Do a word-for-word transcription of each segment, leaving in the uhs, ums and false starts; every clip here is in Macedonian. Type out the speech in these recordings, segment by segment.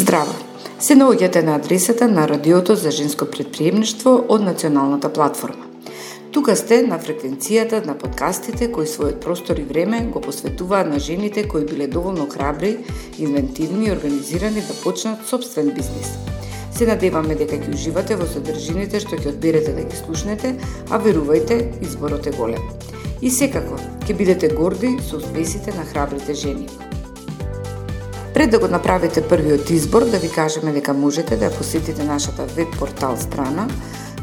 Здраво! Се наоѓате на адресата на Радиото за женско претприемништво од Националната платформа. Тука сте на фреквенцијата на подкастите кои својот простор и време го посветуваат на жените кои биле доволно храбри, инвентивни и организирани да почнат собствен бизнис. Се надеваме дека ќе уживате во содржините што ќе одберете да ги слушнете, а верувајте, изборот е голем. И секако, ќе бидете горди со успесите на храбрите жени. Пред да го направите првиот избор, да ви кажеме дека можете да посетите нашата веб портал страна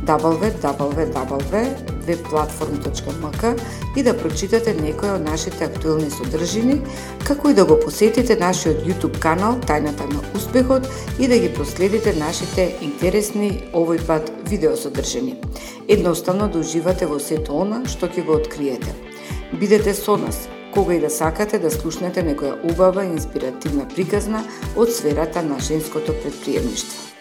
дабл ю дабл ю дабл ю точка веб платформ точка ем ка и да прочитате некои од нашите актуелни содржини, како и да го посетите нашиот YouTube канал Тајната на успехот и да ги проследите нашите интересни овој пат видеосодржини. Едноставно да уживате во сето она што ќе го откриете. Бидете со нас кога и да сакате да слушнете некоја убава и инспиративна приказна од сферата на женското претприемништво.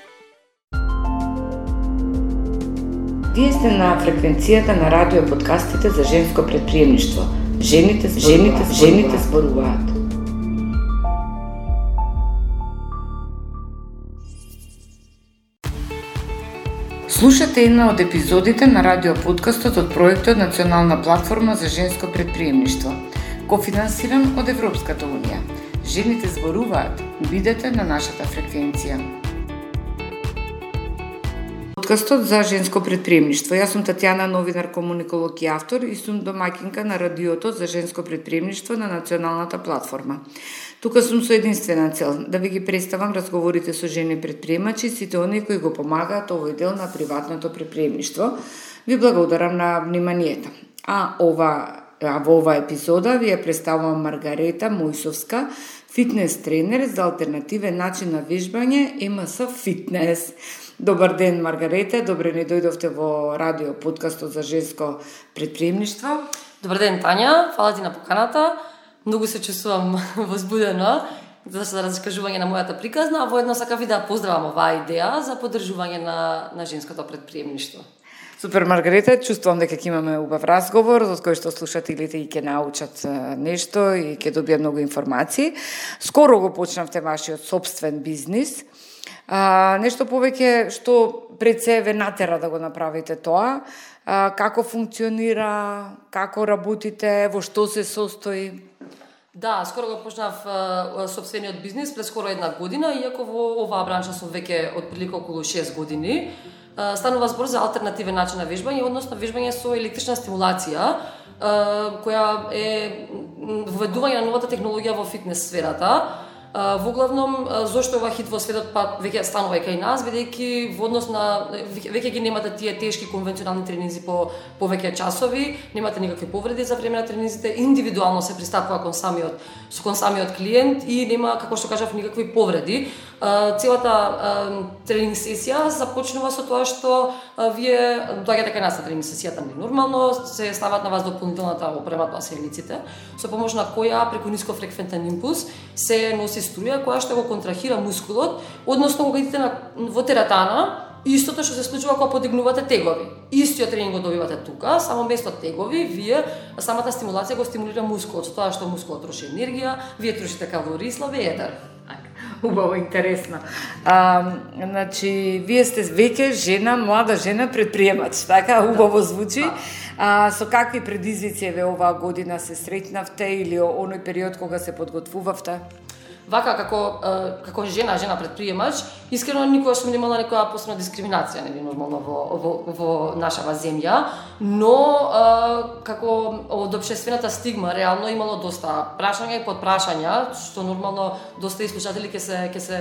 Вие сте на фреквенцијата на радио подкастите за женско претприемништво. Жените, жените, жените зборуваат. Слушате една од епизодите на радио подкастот од проектот Национална платформа за женско претприемништво, кофинансиран од Европската унија. Жените зборуваат. Бидете на нашата фреквенција. Подкастот за женско претприемништво. Јас сум Татјана, новинар, комуниколог и автор и сум домаќинка на Радиото за женско претприемништво на Националната платформа. Тука сум со единствена цел да ви ги представам разговорите со жени претприемачи, сите оние кои го помагаат овој дел на приватното претприемништво. Ви благодарам на вниманието. А ова А во оваа епизода ви ја представувам Маргарета Мојсовска, фитнес тренер за алтернативен начин на вежбање Ем Ес Фитнес. Добар ден, Маргарета, добре не дојдовте во радио подкастот за женско претприемништво. Добар ден, Тања, фала ти на поканата. Многу се чувствувам возбудена за раскажување на мојата приказна, а воедно сакав и да поздравам оваа идеја за поддржување на, на женското претприемништво. Супер, Маргарета, чувствувам дека ќе имаме убав разговор, од кој што слушателите и ќе научат нешто и ќе добијат многу информации. Скоро го почнавте вашиот собствен бизнис. А, нешто повеќе што пред се ве натера да го направите тоа, а, како функционира, како работите, во што се состои? Да, скоро го почнав а, собствениот бизнис пред скоро една година, иако во оваа бранша сум веќе отприлика околу шест години. Станува збор за алтернативен начин на вежбање, односно вежбање со електрична стимулација, која е введување на новата технологија во фитнес сферата. Во главном, зошто ова хит во светот па веќе станува и кај нас, бидејќи во однос на веќе ги немате тие тешки конвенционални тренинзи по повеќе часови, немате никакви повреди за време на тренинзите, индивидуално се пристапува кон самиот со кон самиот клиент и нема, како што кажав, никакви повреди. Целата тренинг сесија започнува со тоа што вие доаѓате кај нас на тренинг сесијата нормално, се стават на вас дополнителната опрема, тоа се елиците, со помош на која преку нискофреквентен импулс се носи струја која што го контрахира мускулот, односно кога идете на, во тератана, истото што се случува кога подигнувате тегови. Истиот тренинг го добивате тука, само место тегови, вие самата стимулација го стимулира мускулот, со тоа што мускулот троши енергија, вие трошите калории, слабее едер. Убаво, интересно. А, значи, вие сте веќе жена, млада жена предприемач, така? Убаво звучи. А, со какви предизвици ве оваа година се сретнавте или оној период кога се подготвувавте? Вака, како, како жена, жена предприемач, искрено никогаш сум немала некоја посебна дискриминација, нели, нормално во, во, во нашава земја, но како од општествената стигма реално имало доста прашања и подпрашања, што нормално доста и слушатели ќе се ќе се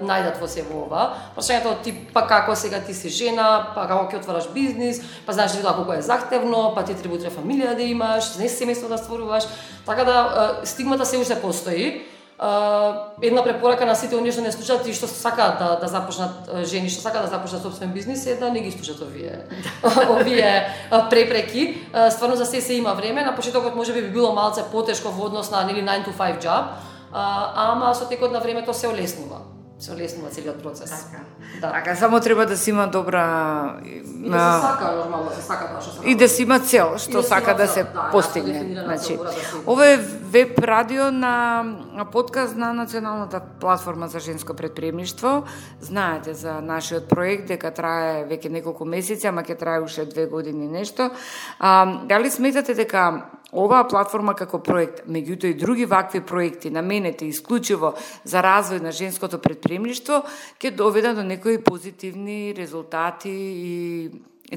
најдат во се во ова. Прашањето од тип, па како сега ти си жена, па како ќе отвараш бизнис, па знаеш ли тоа колку е захтевно, па ти треба утре фамилија да имаш, знаеш семејство да стваруваш, така да стигмата се уште постои. Uh, една препорака на сите оние што не слушаат и што сакаат да, да започнат жени, што сакаат да започнат собствен бизнис е да не ги слушаат овие овие препреки. Uh, стварно за се се има време, на почетокот можеби би било малце потешко во однос на нели nine to five job, uh, ама со текот на времето се олеснува. се олеснува целиот процес. Така. Да. Така, само треба да си има добра И да се сака, нормално, се сака тоа што се и да си има цел, што да сака да цел, се да, постигне. Значи, ова е веб радио на подкаст на Националната платформа за женско претприемништво. Знаете за нашиот проект дека трае веќе неколку месеци, ама ќе трае уште две години нешто. А, дали сметате дека оваа платформа како проект, меѓуто и други вакви проекти наменети исклучиво за развој на женското претприемништво, ќе доведат до некои позитивни резултати и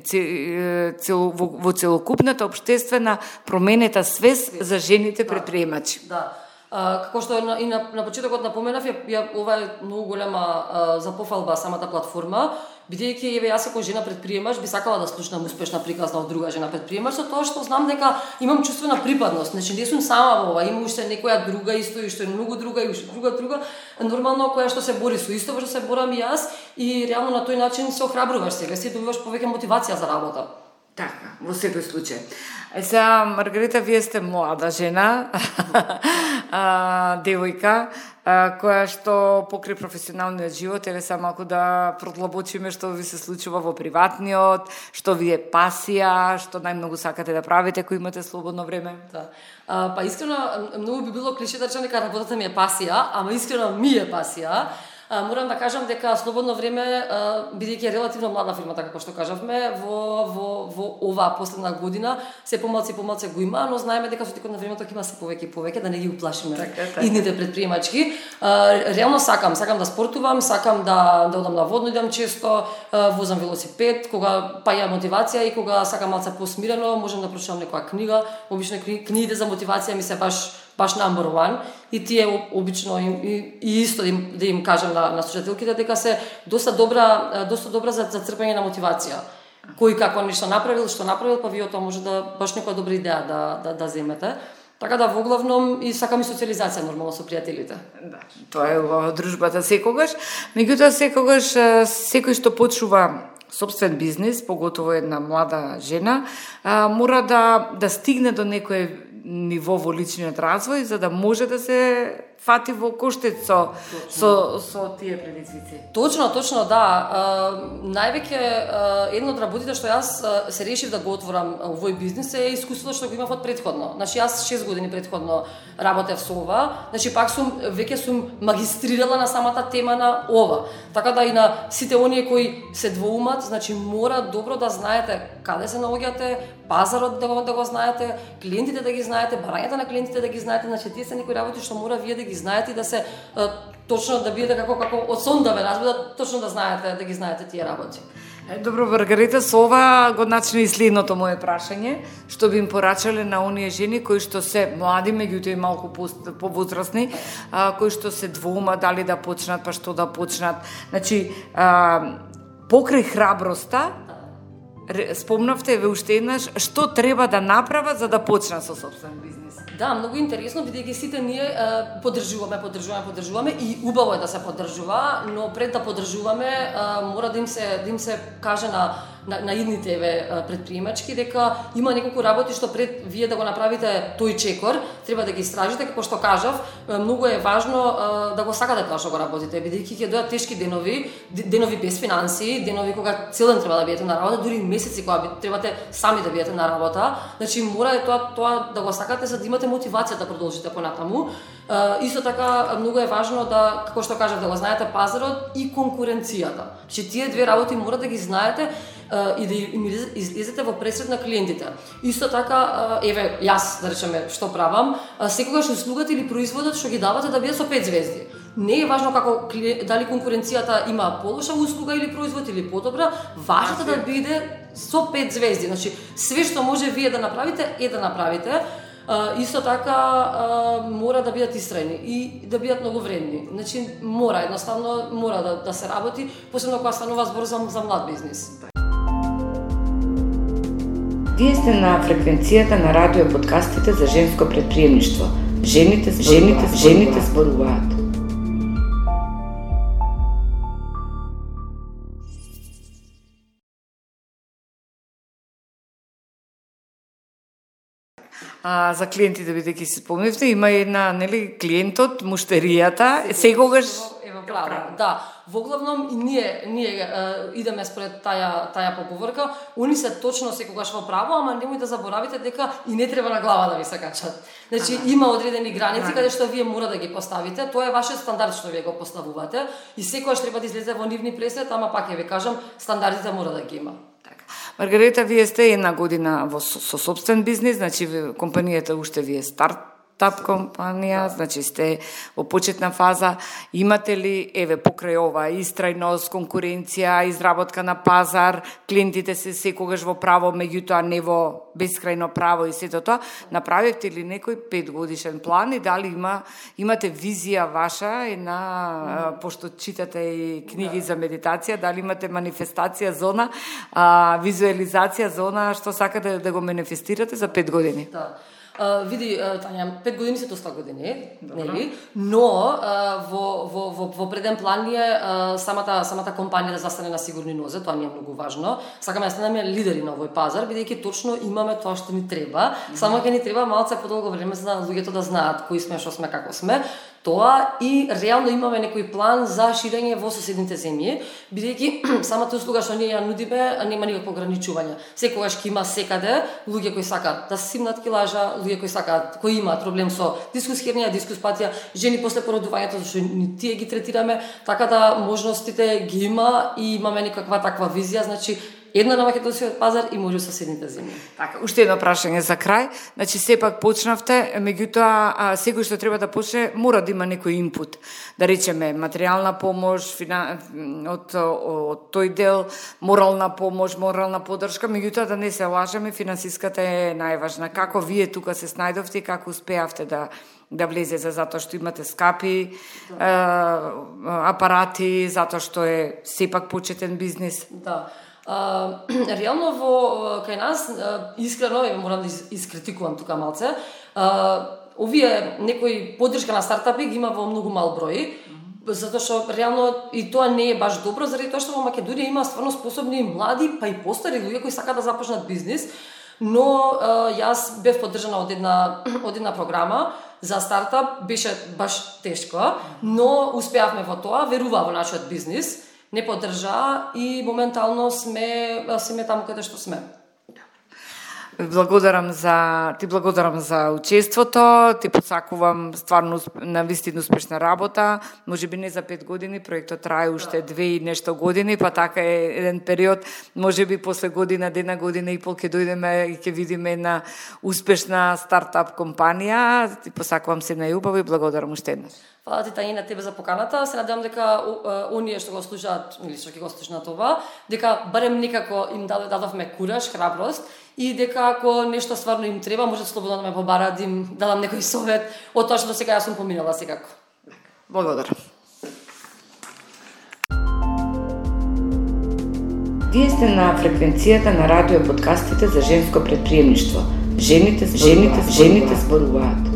цел, во, во целокупната општествена променета свест за жените предприемачи. Да. А, како што и на, на почетокот напоменав, ја, ја, ова е многу голема а, за пофалба самата платформа, бидејќи еве јас како жена предприемач би сакала да слушнам успешна приказна од друга жена предприемач, со тоа што знам дека имам чувство на припадност, значи не сум сама во ова, има уште некоја друга исто и што е многу друга и уште друга друга, нормално која што се бори со исто во што се борам и јас и реално на тој начин се охрабруваш себе си, добиваш повеќе мотивација за работа. Така, во секој случај. Е сега, Маргарита, вие сте млада жена, а, девојка, а, која што покри професионалниот живот, еве сега малку да продлабочиме што ви се случува во приватниот, што ви е пасија, што најмногу сакате да правите кога имате слободно време. Да. А, па искрено, многу би било клише да речам дека работата ми е пасија, ама искрено ми е пасија. А, морам да кажам дека слободно време, бидејќи е релативно млада фирмата, како што кажавме, во, во, во оваа последна година се помалку и помалку го има, но знаеме дека со текот на времето ќе има се повеќе и повеќе, да не ги уплашиме идните предприемачки. А, реално сакам, сакам да спортувам, сакам да, да одам на водно, идам често, возам велосипед, кога па ја мотивација и кога сакам малку посмирено, можам да прочитам некоја книга, обично книгите за мотивација ми се баш баш number one и тие обично и, и, и исто да им, да им кажам на, на слушателките дека се доста добра доста добра за, за црпење на мотивација. Кој како нешто направил, што направил, па вие тоа може да баш некоја добра идеја да да да земете. Така да во главном и сакам и социализација нормално со пријателите. Да, тоа е во дружбата секогаш. Меѓутоа секогаш секој што почува сопствен бизнис, поготово една млада жена, мора да да стигне до некој ниво во личниот развој за да може да се фати во коштец со, со, со тие предизвици. Точно, точно, да. Највеќе едно од работите што јас се решив да го отворам овој бизнис е искуството што го имав од претходно. Значи јас шест години претходно работев со ова, значи пак сум веќе сум магистрирала на самата тема на ова. Така да и на сите оние кои се двоумат, значи мора добро да знаете каде се наоѓате, пазарот да го, да го знаете, клиентите да ги знаете, барањата на клиентите да ги знаете, значи тие се некои работи што мора вие да ги знаете и да се а, точно да бидете како како од сон да ве разбудат, точно да знаете, да ги знаете тие работи. Добро, Маргарита, со ова го начна и следното мое прашање, што би им порачале на оние жени кои што се млади, меѓутоа и малку повозрасни, кои што се двоума дали да почнат, па што да почнат. Значи, а, покрај храброста, спомнавте ве уште еднаш што треба да направат за да почнат со сопствен бизнис. Да, многу интересно, бидејќи сите ние е, поддржуваме, поддржуваме, поддржуваме и убаво е да се поддржува, но пред да поддржуваме е, мора да им се да им се каже на на, на идните еве предприемачки дека има неколку работи што пред вие да го направите тој чекор, треба да ги истражите, како што кажав, многу е важно е, да го сакате тоа што го работите, бидејќи ќе дојдат тешки денови, денови без финансии, денови кога цел ден треба да бидете на работа, дури месеци кога требате сами да бидете на работа, значи мора е тоа тоа да го сакате за да имате мотивација да продолжите понатаму. Uh, исто така многу е важно да, како што кажав, да го знаете пазарот и конкуренцијата. Че тие две работи мора да ги знаете uh, и да им излезете во пресред на клиентите. Исто така, uh, еве, јас, да речеме, што правам, uh, секогаш услугата или производот што ги давате да биде со пет звезди. Не е важно како дали конкуренцијата има полоша услуга или производ или подобра, важното да биде со пет звезди. Значи, све што може вие да направите, е да направите. Uh, исто така uh, мора да бидат истрајни и да бидат многу вредни. Значи мора едноставно мора да да се работи, посебно кога станува збор за за млад бизнис. Вие сте на фреквенцијата на радио подкастите за женско претприемништво. Жените, жените, жените зборуваат. А, за клиентите, бидејќи си спомневте, има една, нели, клиентот, муштеријата, секогаш Ево права. Да, воглавном и ние ние е, идеме според таја таја поговорка. Они се точно секогаш во право, ама немој да заборавите дека и не треба на глава да ви се качат. Значи ага. Има одредени граници ага. Каде што вие мора да ги поставите. Тоа е вашиот стандард што вие го поставувате и секогаш треба да излезе во нивни пресвет, ама пак ќе ви кажам, стандардите мора да ги има. Маргарита, вие сте една година во со, со собствен бизнис, значи компанијата уште ви е стартап компанија, да. Значи сте во почетна фаза. Имате ли, еве, покрај ова, истрајност, конкуренција, изработка на пазар, клиентите се секогаш во право, меѓутоа не во бескрајно право и сето тоа, направивте ли некој петгодишен план и дали има имате визија ваша и на mm. пошто читате и книги да. За медитација, дали имате манифестација зона, а, визуализација зона што сакате да го манифестирате за пет години? Да. Uh, види, uh, Тања, пет години се доста години, нели? Но uh, во, во, во, во преден план е uh, самата, самата компанија да застане на сигурни нозе, тоа ни е многу важно. Сакаме да станеме лидери на овој пазар, бидејќи точно имаме тоа што ни треба. Mm-hmm. Само ќе ни треба малце подолго време за да луѓето да знаат кои сме, што сме, како сме. Тоа и реално имаме некој план за ширење во соседните земји, бидејќи самата услуга што ние ја нудиме нема никакво ограничување. Секогаш ќе има секаде луѓе кои сакаат да симнат килажа, луѓе кои сакаат, кои имаат проблем со дискус хернија, дискус патија, жени после породувањето, зашто ни тие ги третираме, така да можностите ги има и имаме некаква таква визија, значи една на македонскиот пазар и може соседните земји. Така, уште едно прашање за крај. Значи сепак почнавте, меѓутоа секој што треба да почне мора да има некој инпут. Да речеме материјална помош, фина... од, од тој дел, морална помош, морална поддршка, меѓутоа да не се лажеме, финансиската е најважна. Како вие тука се снајдовте и како успеавте да да влезете, затоа што имате скапи да. е, апарати, затоа што е сепак почетен бизнис? Да. Uh, реално во кај нас uh, искрено морам да искритикувам тука малце. Uh, овие некои поддршка на стартапи ги има во многу мал број, mm-hmm. затоа што реално и тоа не е баш добро, заради тоа што во Македонија има стварно способни млади, па и постари луѓе кои сакаат да започнат бизнис, но uh, јас бев поддржана од една од една програма за стартап, беше баш тешко, но успеавме во тоа, веруваа во нашиот бизнис. Не поддржа и моментално сме сме таму каде што сме. Благодарам за ти благодарам за учеството, ти посакувам стварно на вистина успешна работа. Можеби не за пет години, проектот трае уште две и нешто години, па така е еден период, можеби после година, една година и пол ќе дојдеме и ќе видиме една успешна стартап компанија. Ти посакувам се најубаво и благодарам уште еднаш. Фала ти, Тања, на тебе за поканата. Се надевам дека оние што го слушаат или што ќе го слушнат ова, дека барем некако им дадовме кураж, храброст и дека ако нешто стварно им треба, може слободно да ме побараат, да им дадам некој совет од тоа што до сега јас сум поминала секако. Благодарам. Вие сте на фреквенцијата на радио подкастите за женско предприемништво. Жените, жените, жените зборуваат.